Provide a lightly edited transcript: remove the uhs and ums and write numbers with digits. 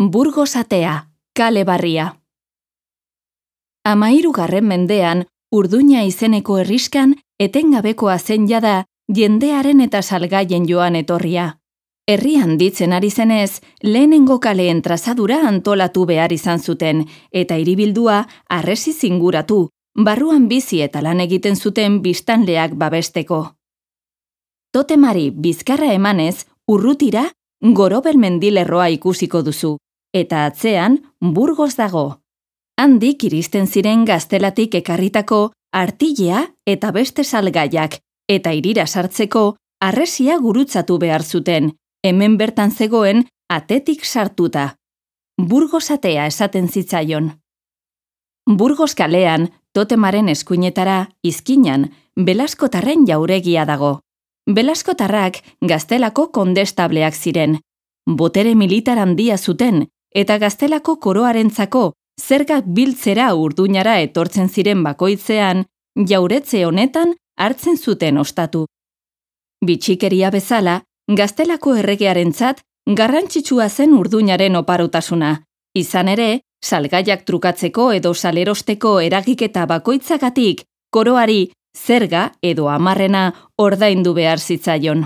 Burgos atea, kale barria. 13. mendean, Urduña izeneko herriskan etengabekoa zen jada jendearen eta salgaien joan etorria. Herri handitzen ari zenez, lehenengo kaleen trazadura antolatu behar izan zuten, eta hiribildua harresiz inguratu, barruan bizi eta lan egiten zuten biztanleak babesteko. Totemari bizkarra emanez, urrutira Gorobel mendilerroa ikusiko duzu, eta atzean Burgos dago. Handik iristen ziren Gaztelatik ekarritako artilea eta beste salgaiak, eta hirira sartzeko harresia gurutzatu behar zuten, hemen bertan zegoen atetik sartuta. Burgos atea esaten zitzaion. Burgos kalean, totemaren eskuinetara, izkinan, Belaskotarren jauregia dago. Belaskotarrak Gaztelako kondestableak ziren. Botere militar handia zuten, eta Gaztelako koroarentzako zergak biltzera Urduñara etortzen ziren bakoitzean, jauretze honetan hartzen zuten ostatu. Bitxikeria bezala, Gaztelako erregearentzat garrantzitsua zen Urduñaren oparotasuna. Izan ere, salgaiak trukatzeko edo salerosteko eragiketa bakoitzagatik, koroari zerga edo amarrena ordaindu behar zitzaion.